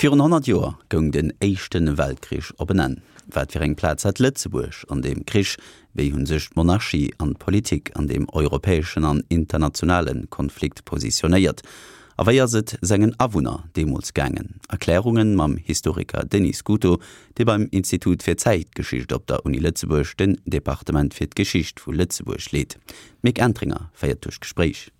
Virun 100 Joer goung den Éischte Weltkrich op en Enn. Wat fir eng Plaz hat Lëtzebuerg an deem Krich? Wéi hu sech d'Monarchie an d'Politik an deem europäeschen an internationale Konflikt positionéiert? A wéi ass et sengen Awunner deemools gaangen? Erklärunge mam Historiker Denis Scuto, dee beim Institut fir Zäitgeschicht op der Uni Lëtzebuerg den Departement fir d'Geschicht vu Lëtzebuerg leet. D'Mick Entringer féiert duerch d'Gespréich.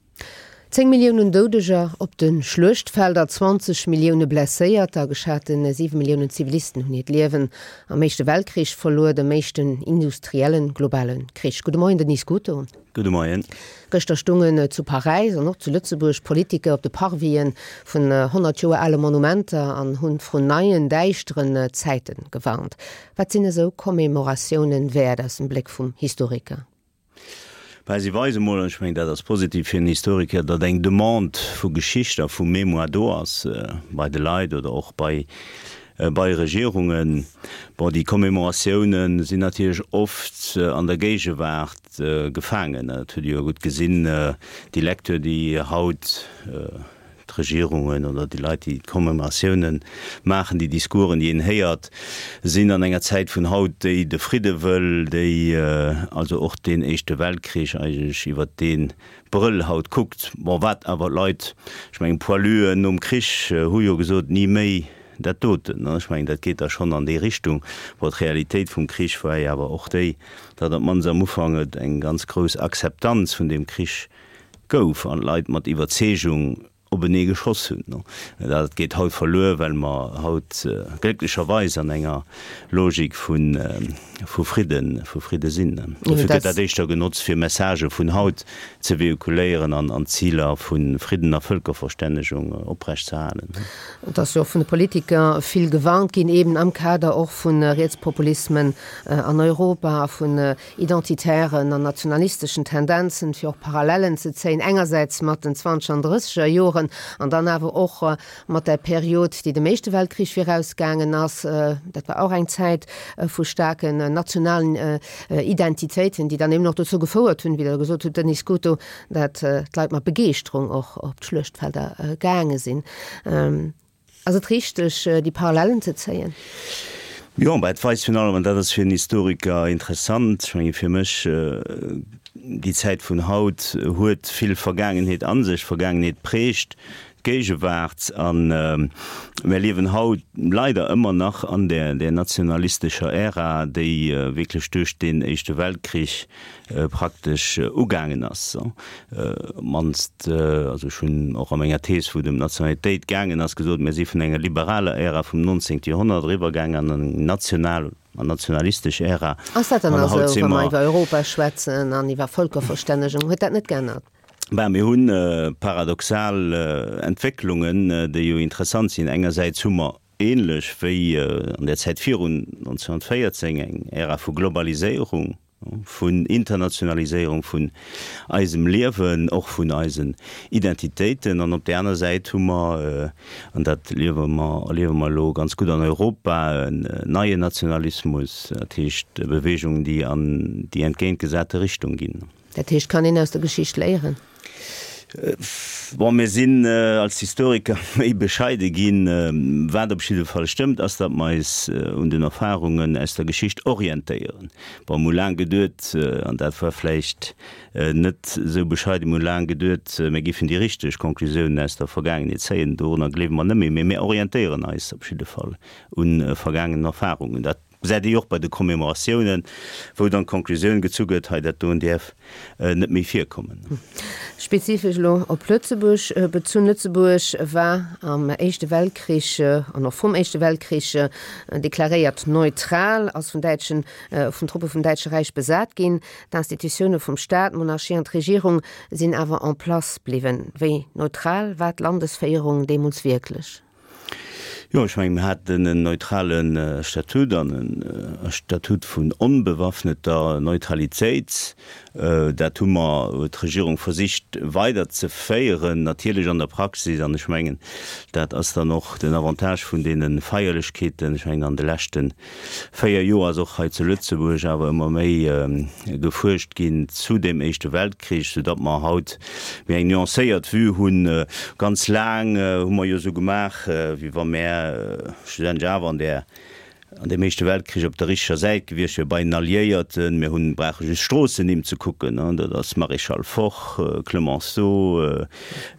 10 Milliounen Doudeger op de Schluechtfelder, 20 Millioune Blesséierter a geschate 7 Milliounen Zivilisten hunn hiert Liewen am Éischte Weltkrich verluer, dem éischten industriellen, globale Krich. Gudde Moien, Denis Scuto. Gudde Moien. Gëschter stungen zu Paräis an och zu Lëtzebuerg Politiker op de Parvisen vun 100 Joer ale Monumenter an hunn vrun neien, däischteren Zäite gewarnt. Wat sinn esou Commemoratiounen wäert aus dem Bléck vum Historiker? Well si weise mol, an ech mengen, dat ass positiv fir en Historiker, datt eng Demande vu Geschicht a vu Mémoire do ass bei de Leit oder och bei bei Regierungen. Bon, déi Commémoratiounen sinn natierlech oft an der Géigewaart gefaangen. Dat hutt Dir jo gutt gesinn, déi Lecture, déi haut D'Regierungen oder déi Leit, déi d'Commémoratiounen maachen, déi Discoursen, déi een héiert, sinn an enger Zäit vun haut, déi de Fridde wëll, déi also och deen Éischte Weltkrich eigentlech iwwert dee Brëll haut kuckt. Bon, wat awer d'Leit, ech mengen, d'Poiluen nom Krich hu jo gesot, ni méi dat doten. Ech mengen, dat geet da schonn an déi Richtung. Bon, d'Realitéit vum Krich war jo awer och déi, datt op d'mannst am Ufank et eng ganz grouss Akzeptanz vun deem Krich gouf an d'Leit mat Iwwerzeegung openee geschoss hunn. Dat geet haut verluer, well mer haut glécklecherweis an enger Logik vu Fridden, vu Fridde sinn. Dofir gëtt dat éischter genotzt, fir Messagë vun haut ze vehiculéieren an d'Ziler vu Fridden a Vëlkerverstännegung oprecht ze halen. Et ass jo och vun de Politiker vill gewarnt ginn, eben am Kader och vu Rietspopulismen an Europa a vun identitären an nationalisteschen Tendenzen, fir och Parallellen ze zéien, engersäits mat den zwanzeger an drësseger Joren an dann awer och mat där Period, déi dem Éischte Weltkrich virausgaangen ass. Dat war och eng Zäit vu staarken nationalen Identitéiten, déi dann eben och dozou gefouert hunn, wéi Der gesot hutt, Denis Scuto, dat d'Leit mat Begeeschterung och op d'Schluechtfelder gaange sinn. Ass et richteg, déi Parallellen ze zéien? Jo, mä et weist virun allem, an dat ass fir en Historiker interessant, ech menge fir mech, déi Zäit vun haut huet vill Vergaangenheet a sech. Vergaangenheet prägt d'Géigewaart a mär liewen haut leider ëmmer nach an där nationalistescher Ära, déi wierklech duerch deen Éischte Weltkrich praktesch ugaangen ass, op d'mannst, also ech hunn och a menger Thees, wou et ëm d'Nationalitéit gaangen ass, gesot, mir si vun enger liberaler Ära vum 19. Joerhonnert eriwwergaangen an eng national an nationalistesch Ära. Ass dat dann esou, wa mer iwwer Europa schwätzen an iwwer Vëlkerverstännegung? Huet dat net geännert? Ben, mir hu paradoxal Entwécklungen, déi jo interessant sinn. Engersäits hu mer ähnlech wéi an der Zäit virun 1914 eng Ära vu Globaliséierung, vun Internationaliséierung vun eisem Liewen, och vun eisen Identitéiten. An op där aner Säit hu mer, an dat liewe mer, erliewe mer elo ganz gutt an Europa, en neien Nationalismus, dat heescht Beweegungen, déi an déi entgéintgesate Richtung ginn. Dat heescht, kann een aus der Geschicht léieren? Bon, mir sinn als Historiker méi bescheide ginn. Wat op jidde Fall stëmmt, ass, datt mer eis un den Erfarungen aus der Geschicht orientéieren. Bon, mir hu laang geduet, an dat war vläicht net esou bescheiden, mir hu laang geduet, mir géifen déi richteg Conclusiounen aus der Vergaangenheet zéien. Dorunner gleewe mer net méi, mee mir orientéieren eis op jidde Fall u vergaangenen Erfarungen. Dat Gesäit ee jo och bei de Commemoratiounen, wou dann d'Conclusioun gezu gëtt, hei dat doen däerf net méi virkommen. Spezifesch elo op Lëtzebuerg bezunn, Lëtzebuerg war am Éischte Weltkrich an och vrum Éischte Weltkrich deklaréiert neutral, ass vun däitschen, vun Truppe vum Däitsche Räich besat ginn. D'Institutioune vum Staat, d'Monarchie an d'Regierung sinn awer en place bliwwen. Wéi neutral war d'Landesféierung deemools wierklech? Jo, ech mengen, mir haten en neutrale Statut an e Statut vun onbewaffneter Neutralitéit. Dat hu mer, huet d'Regierung versicht weiderzeféieren, natierlech an der Praxis. An ech mengen, dat ass dann och den Avantage vun deene Feierlechkeeten. Ech mengen, an de leschte 4 Joer ass och hei zu Lëtzebuerg awer ëmmer méi gefuerscht ginn zu dem Éischte Weltkrich, soudatt mer haut méi eng nuancéiert Vue hunn. Ganz laang hu mer jo esou gemaach, wéi wa mär. mär schlussendlech awer an där an deem Éischte Weltkrich op der richteger Säit gewiescht wier bei den Alliéierten. Mir hunn, brauche just Stroossennimm ze kucken, dat ass Maréchal Foch, Clemenceau,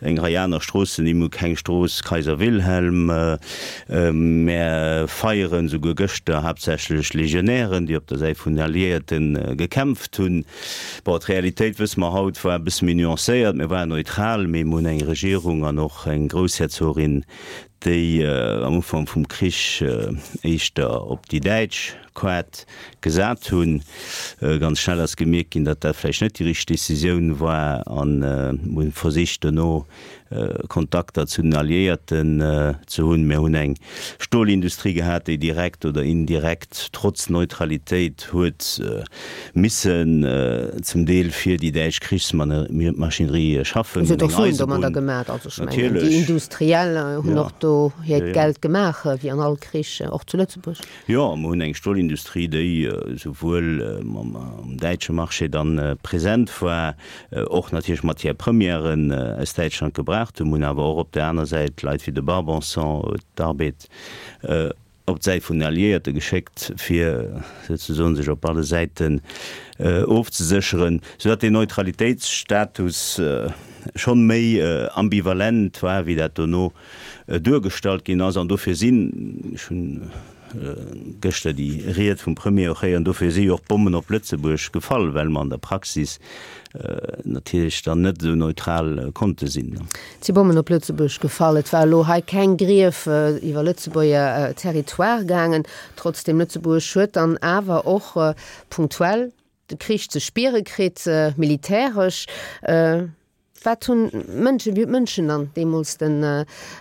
eng Rei aner Stroossennimm hu keng Strooss, Kaiser Wilhelm. Mär feieren souguer gëschter haaptsächlech Legionären, déi op der Säit vun den Alliéierte gekämpft hunn. Bon, d'Realitéit, wësse mer haut, war e bësse méi nuancéiert. Mir waren neutral, mee mir hunn eng Regierung an och eng Groussherzogin, déi am Ufank vum Krich éischter op déi däitsch Koart gesat hunn. Ganz schnell ass gemierkt ginn, datt dat vläicht net déi richteg Decisioun war an hunn versicht dono Kontakter zu den Alliéierten ze hunn. Mir hunn eng Stolindustrie gehat, déi direkt oder indirekt trotz Neutralitéit huet missen zum Deel fir déi däitsch Krichsmaschinerie schaffen. Se huet och Suen domadder gemaach. Also ech mengen, déi Industriell hunn och do hiert Geld gemaach, wéi an all Krich, och zu Lëtzebuerg. Jo, mer hunn eng Stolindustrie, déi esouwuel am däitsche Marché dann present war, och natierlech Matière-premièren aus Däitschland gebraucht hunn. Mer hunn awer och op där aner Säit Leit wéi de Barbanson, d'Arbed op d'Säit vun den Alliéierte geschéckt, fir souzesoen sech op alle Säiten ofzesécheren, soudatt deen Neutralitéitsstatus schonn méi ambivalent war, wéi dat dono duergestallt ginn ass. An dofir sinn, ech hunn gëschter déi Ried vum Premier och héieren, dofir si jo och Bommen op Lëtzebuerg gefall, well mer an der Praxis natierlech dann net esou neutral konnte sinn. Et si Bommen op Lëtzebuerg gefall. Et war elo hei keng Grief iwwer Lëtzebuerger Territoire gaangen. Trotzdem, Lëtzebuerg huet dann awer och punktuell de Krich ze spiere kritt, militäresch. Wat hunn d'Mënschen, wéi hunn d'Mënschen dann deemools den,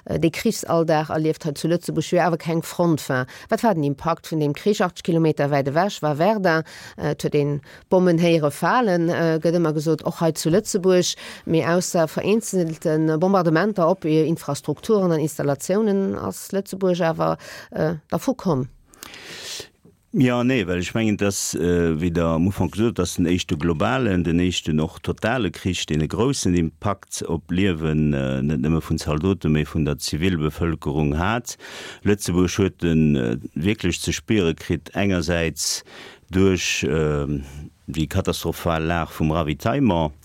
dee Krichsalldag erlieft hei zu Lëtzebuerg, wou jo awer keng Front war? Wat war den Impakt vun deem Krich? 80 Kilometer wäit ewech war Verdun, et huet een Bommen héiere falen, gëtt ëmmer gesot, och hei zu Lëtzebuerg. Mee ausser vereenzelte Bombardementer op Infrastrukturen an Installatiounen ass Lëtzebuerg awer dervu komm. Jo an nee, well ech mengen, et ass, wéi Der am Ufank gesot hutt, et ass den éischte globalen, den éischten och totale Krich, deen e groussen Impakt op d'Liewen net nëmme vun Zaldoten, mee vun der Zivilbevëlkerung hat. Lëtzebuerg huet e wierklech ze spiere kritt, engersäits duerch déi katastrophal Lag vum Ravitaillement,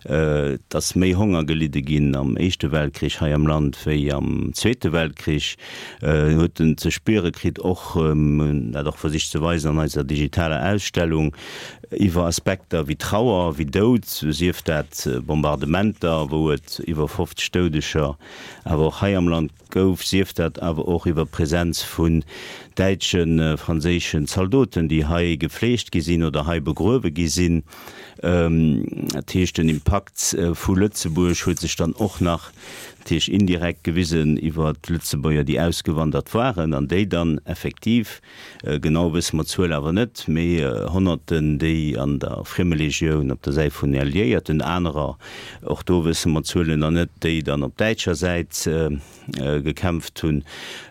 Et ass méi Honger gelidde ginn am Éischte Weltkrich hei am Land wéi am Zweete Weltkrich. Huet en ze spiere kritt, och, mir hunn dat och versicht ze weisen an eiser digitaler Ausstellung, iwwer Aspekter wéi Trauer, wéi Doud, sief dat Bombardementer, wou et iwwer 50 Doudeger awer och hei am Land gouf, sief dat awer och iwwer d'Präsenz vun däitschen, franséischen Zaldoten, déi hei gefleegt gi sinn oder hei begruewe gi sinn. Dat heescht, den Impakt vu Lëtzebuerg huet sech dann och nach natierlech indirekt gewisen iwwer d'Lëtzebuerger, déi ausgewandert waren an déi dann effektiv, Genau wësse mer d'Zuel awer net, mee Honnerten, déi an der Friemelegioun op der Säit vun den Alliéierten, anerer, och do wësse mer d'Zuelen nach net, déi dann op däitscher Säit gekämpft hunn.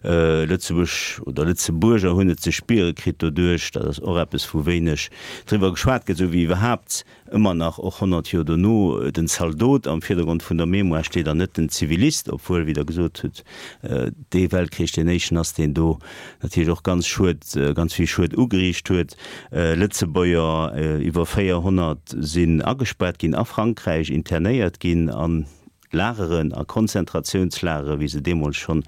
Lëtzebuerg oder Lëtzebuerger hunn et ze spiere kritt doduerch, dat ass och eppes, wou wéineg driwwer geschwat gëtt, esou wéi iwwerhaapt ëmmer nach, och 100 Joer dono, den Zaldot am Virdergrond vun der Mémoire steet an net den Zivilist, obwuel, wéi Der gesot hutt, dee Weltkrich deen éischten ass, deen do natierlech och ganz Schued, ganz vill Schued ugeriicht huet. Lëtzebuerger, iwwer 400 sinn agespaart ginn a Frankräich, internéiert ginn an Lageren a Konzentratiounslagere, wéi se deemools schonn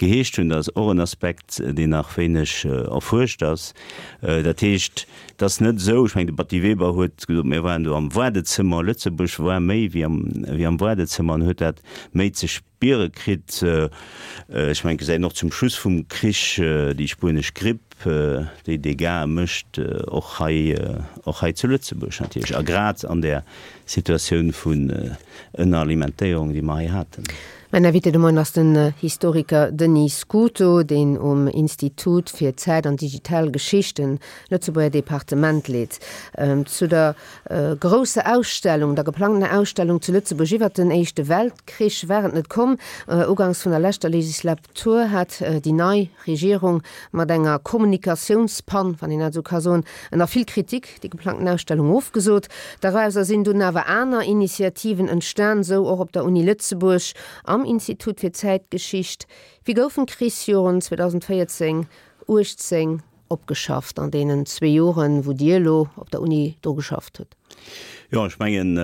geheescht hunn, dat ass och en Aspekt, deen nach wéineg erfuerscht ass. Dat heescht, et ass net esou, ech mengen, de Batty Weber huet gesot, mir waren do am Waardezëmmer, Lëtzebuerg war méi wéi am, wéi am Waardezëmmer an huet dat méi ze spiere kritt. Ech mengen, et gesäit een och zum Schluss vum Krich déi spuenesch Gripp, déi Dégâtë mécht, och hei, och hei zu Lëtzebuerg natierlech, a grad an där Situatioun vun Ënneralimentéierung, déi mer hei haten. Mäin Invité de Moien ass den Historiker Denis Scuto, deen um Institut fir Zäit an digital Geschicht en Lëtzebuerger Departement leet. Zu der grousser Ausstellung, der geplangtener Ausstellung zu Lëtzebuerg iwwert den Éischte Weltkrich war et net komm. Uganks vun der leschter Legislatur hat déi nei Regierung mat enger Kommunikatiounspann, wann een dat esou ka soen, ënner vill Kritik déi geplangten Ausstellung ofgesot. Dorauser sinn dunn awer aner Initiativen entstan, sou och op der Uni Lëtzebuerg. am Institut fir Zäitgeschicht. Wéi goufen d'Krichsjoren 2014, 18 opgeschafft an deenen zwee Joren, wou Dir elo op der Uni dru geschafft hutt? Jo, ech mengen,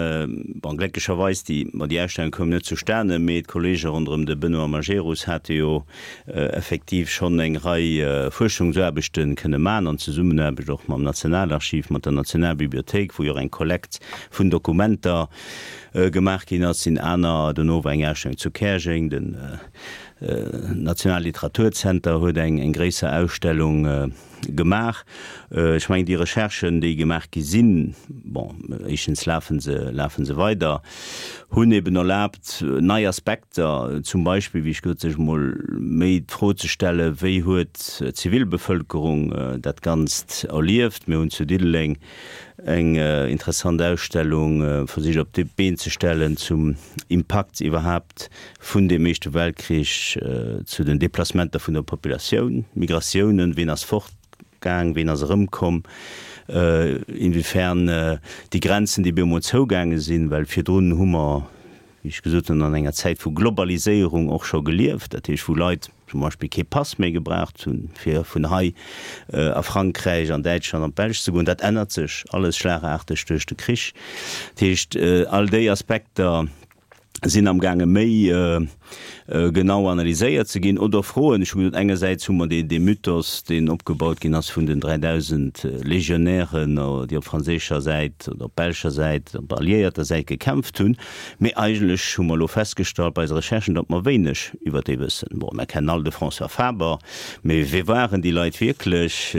bon, glécklecherweis, déi, ma déi Ausstellung koum net zustane, mee d'Kollege ronderëm de Benoît Majerus hate jo effektiv schonn eng Rei Fuerschungsaarbechte kënne maachen, an Zesummenaarbecht och mam Nationalarchiv, mat der Nationalbibliothéik, wou jo och eng Kollekt vun Dokumenter gemaach ginn ass, sinn aner, dono war eng Ausstellung zu Käerjeng, den Nationale Literaturzenter huet eng gréisser Ausstellung gemaach. Ech mengen, déi Recherchen, déi gemaach gi sinn, bon, éischtens lafe se, lafe se weider, hunn eben erlaabt, nei Aspekter, zum Beispill, wéi ech gesot, sech emol méi d'Fro ze stellen, wéi huet d'Zivilbevölkerung dat Ganzt erlieft. Mir hunn zu Diddeleng eng interessant Ausstellung versicht op d'Been ze stellen zum Impakt iwwerhaapt vun deem Éischte Weltkrich zu den Deplacementer vun der Populatioun, Migratiounen, ween ass fortgaang, ween ass erëmkomm, inwiefern déi Grenzen, déi bemol zougaange sinn, well virdrun hu mer, wéi ech gesot hunn, an enger Zäit vu Globaliséierung och scho gelieft, dat heescht wou Leit zum Beispill kee Pass méi gebraucht hunn, fir vun hei a Frankräich, an Däitschland, an d'Belsch ze goen. Dat ännert sech alles schlagaarteg duerch de Krich. Dat heescht, all déi Aspekter sinn amgaange méi genau analyséiert ze ginn oder Froen. Ech hu gesot, engersäits hu mer dee Mythos, deen opgebaut ginn ass vun den 3.000 Legionären, déi op franséischer Säit oder op belscher Säit, op alliéierter Säit gekämpft hunn. Mee eigentlech hu mer elo festgestallt bei eise Recherchen, datt mer wéineg iwwer déi wëssen. Bon, mer kennen all de François Faber, mee wie waren déi Leit wierklech?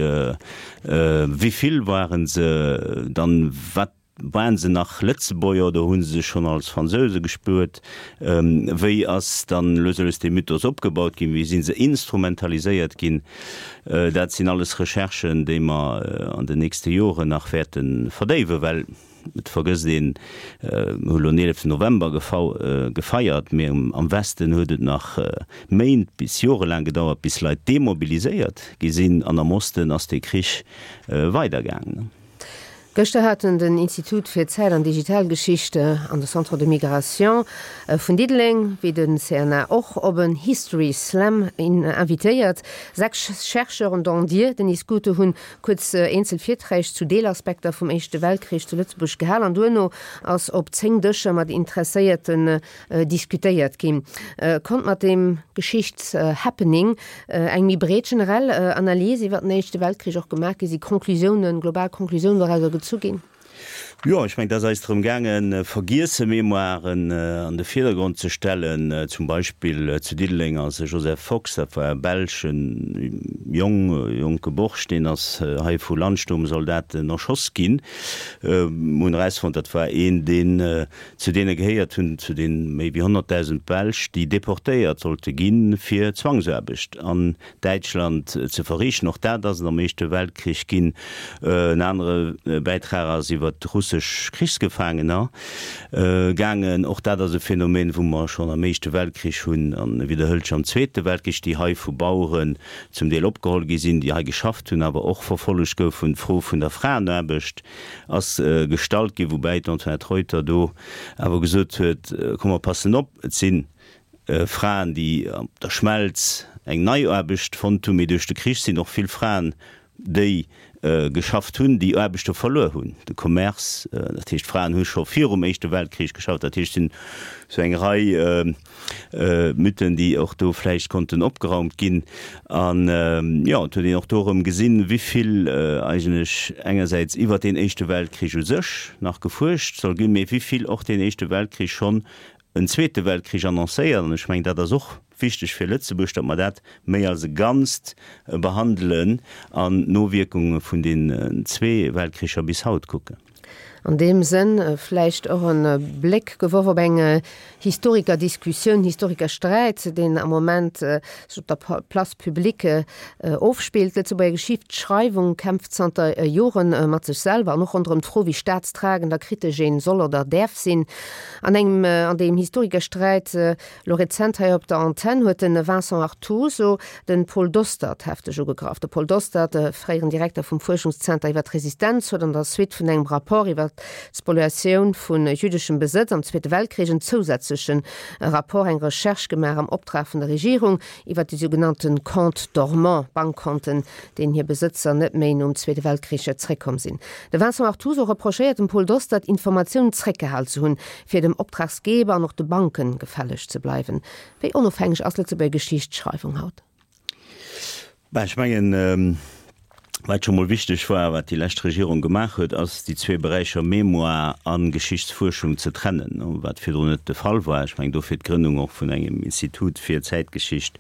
Wéi vill waren se dann? Wat Waren se nach Lëtzebuerger oder hu se sech schonn als Fransouse gespuert? Wéi ass dann lues a lues dee Mythos opgebaut ginn? Wéi si se instrumentaliséiert ginn? Dat sinn alles Recherchen, déi mer an den nächste Joren nach wäerte verdéiwen, well et vergësst een, mir hu elo den 11 November gefeiert, mee am Westen huet et nach Méint bis jorelaang gedauert, bis Leit demobiliséiert gi sinn an am Osten ass dee Krich weidergaangen. Gëschter haten den Institut fir Zäit an Digitalgeschicht an de Centre de Migration vun Diddeleng, wéi de CNA och, op en History Slam invitéiert. 6 Chercheuren, dont Dir, Denis Scuto, hunn kuerz eenzel Virträg zu Deelaspekter vum Éischte Weltkrich zu Lëtzebuerg gehal an duerno ass op 10 Dëscher mat Interesséierten diskutéiert ginn. Konnt mat deem Geschichtshappening eng méi breet generell Analys iwwer den Éischte Weltkrich och gemaach ginn? Si Conclusiounen, global Conclusiounen dorauser gezu ginn? Jo, ech mengen, et ass eis drëm gaangen, vergiesse Mémoiren an de Virdergrond ze stellen. Zum Beispill zu Diddeleng ass e Joseph Fox, dat war e belsche Jong, jonke Borscht, deen ass hei vu Landsturmsoldaten erschoss ginn. Mir hunn erausfonnt, dat war een, deen Zu deene gehéiert hunn zu de méi wéi 100.000 Belsch, déi deportéiert sollte ginn, fir Zwangsaarbecht an Däitschland ze verriichten. Och dat ass et am Éischte Weltkrich ginn. En anere Bäitrag ass iwwer russesch Krichsgefaangener gaangen. Och dat ass e Phänomen, wou mer schonn am Éischte Weltkrich hunn an e widderhëlt sech am Zweete Weltkrich, déi hei vu Baueren zum Deel opgeholl gi sinn, déi hei geschafft hunn, awer och verfollegt goufen. D'Fro vun der Fraenaarbecht ass gestallt ginn, woubäi d'Antoinette Reuter do awer gesot huet, Komm mer passen op, et si Fraen, déi op der Schmelz eng nei Aarbecht fonnt hunn, mee duerch de Krich sinn och vill Fraen, déi geschafft hunn, déi Aarbechte verluer hunn, de Commerce, dat heescht d'Fraen hu scho virum Éischte Weltkrich geschafft, dat heescht et sinn esou eng Rei Mythen, déi och do vläicht konnten opgeraumt ginn. An jo, et huet een och do erëm gesinn, wéi vill eigentlech engersäits iwwert deen Éischte Weltkrich u sech nach gefuerscht soll ginn, mee wéi vill och deen Éischte Weltkrich schonn en Zweete Weltkrich annoncéiert. An ech mengen, dat ass och wichteg fir Lëtzebuerg, datt mer dat méi als e Ganzt behandelen an d'Nowierkunge vun den zwee Weltkricher bis haut kucken. An deem Sënn vläicht och e Bléck geworf op eng Historikerdiskussioun, Historikersträit, deen am Moment sech op der Place publique ofspillt. D'Lëtzebuerger Geschichtsschreiwung kämpft zanter Jore mat sech selwer an och ronderëm d'Fro, wéi staatstragend a kritesch een soll oder däerf sinn. An engem an deem Historikersträit Lo rezent hei op der Antenn huet de Vincent Artuso de Paul Dostert hefteg ugegraff. De Paul Dostert, de fréieren Direkter vum Fuerschungszenter iwwer d'Resistenz, huet an der Suite vun engem Rapport iwwer. iwwert d'Spoliatioun vu jüddeschem Besëtz am Zweete Weltkrich en zousätzleche Rapport, eng Recherche gemaach am Optrag vun der Regierung iwwert déi sougenannte Comptes dormants, Bankkonten, deenen hir Besëtzer net méi nom Zweete Weltkrich zréckkomm sinn. De Vincent Artuso reprochéiert dem Paul Dostert, Informatiounen zréckgehal ze hunn, fir dem Optragsgeber an och de Banken gefälleg ze bleiwen. Wéi onofhängeg ass d'Lëtzebuerger Geschichtsschreiwung haut? Ben, ech mengen, wat scho mol wichteg war, wat déi lescht Regierung gemaach huet, ass déi zwee Beräicher Mémoire a Geschichtsfuerschung ze trennen, wat virdrun net de Fall war. Ech mengen, dofir d'Grënnung och vun engem Institut fir Zäitgeschicht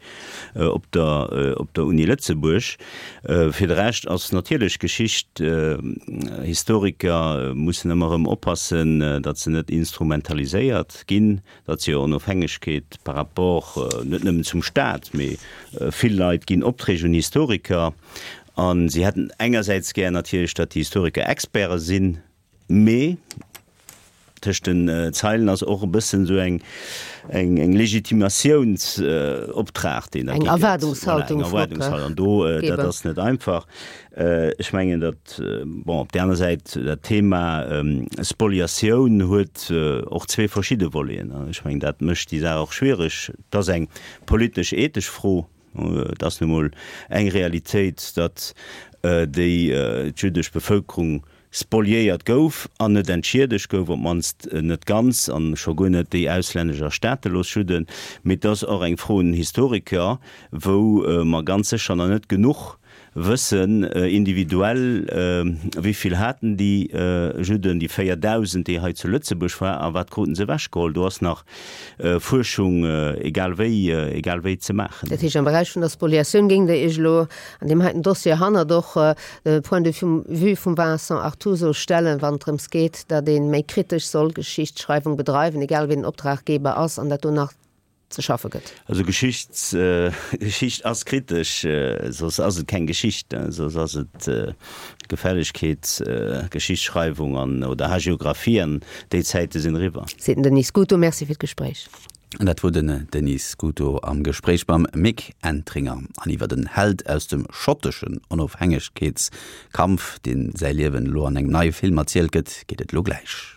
op der, op der Uni Lëtzebuerg. Fir de Rescht ass natierlech Geschicht, Historiker mussen ëmmer erëm oppassen, datt se net instrumentaliséiert ginn, datt se hir Onofhängegkeet par rapport net nëmmen zum Staat, mee vill Leit ginn Opträg un Historiker a si hätten engersäits gär natierlech, datt déi Historiker Experte sinn, mee tëscht den Zeilen ass och e bëssen esou eng eng Legitimatiounsoptrag, deen da gi gëtt. Eng Erwaardungshaltung vum Optraggeber. An do, dat ass net einfach. Ech mengen, datt, bon, op där aner Säit, dat Thema Spoliatioun huet och zwee verschidde Voleten. Ech mengen, dat mécht déi Saach och schwiereg. Et ass eng politesch-ethesch Fro. Et ass nu mol eng Realitéit, datt déi jüddesch Bevëlkerung spoliéiert gouf an net entschiedegt gouf, op d'mannst net ganz, an scho guer net déi auslännesch a staatelos Judden. Mee et ass och eng Fro un den Historiker, wou mer ganz sécher nach net genuch wëssen, individuell, wéi vill haten déi Judden, déi 4.000, déi hei zu Lëtzebuerg war, a wat kruten se ewechgeholl. Do ass nach Fuerschung egal wéi, egal wéi ze maachen. Dat heescht, am Beräich vun der Spoliatioun géingt Der Iech elo an deem heiten Dossier hannert och de Point de vue vum Vincent Artuso stellen, wann et drëms geet, datt ee méi kritesch soll Geschichtsschreiwung bedreiwen, egal wien den Optraggeber ass, an dat do nach ze schaffe gëtt? Also Geschichts, Geschicht ass kritesch, soss ass et keng Geschicht, soss ass et Gefällegkeet, Geschichtsschreiwung an, oder Hagiographie, an déi Zäite sinn eriwwer. Seet den Denis Scuto. Merci fir d'Gespréich. An dat wor den Denis Scuto am Gespréich mam Mick Entringer. An iwwer en Held aus dem schotteschen Onofhängegkeetskampf, deen säi Liewen elo an engem neie Film erzielt gëtt, geet et elo gläich.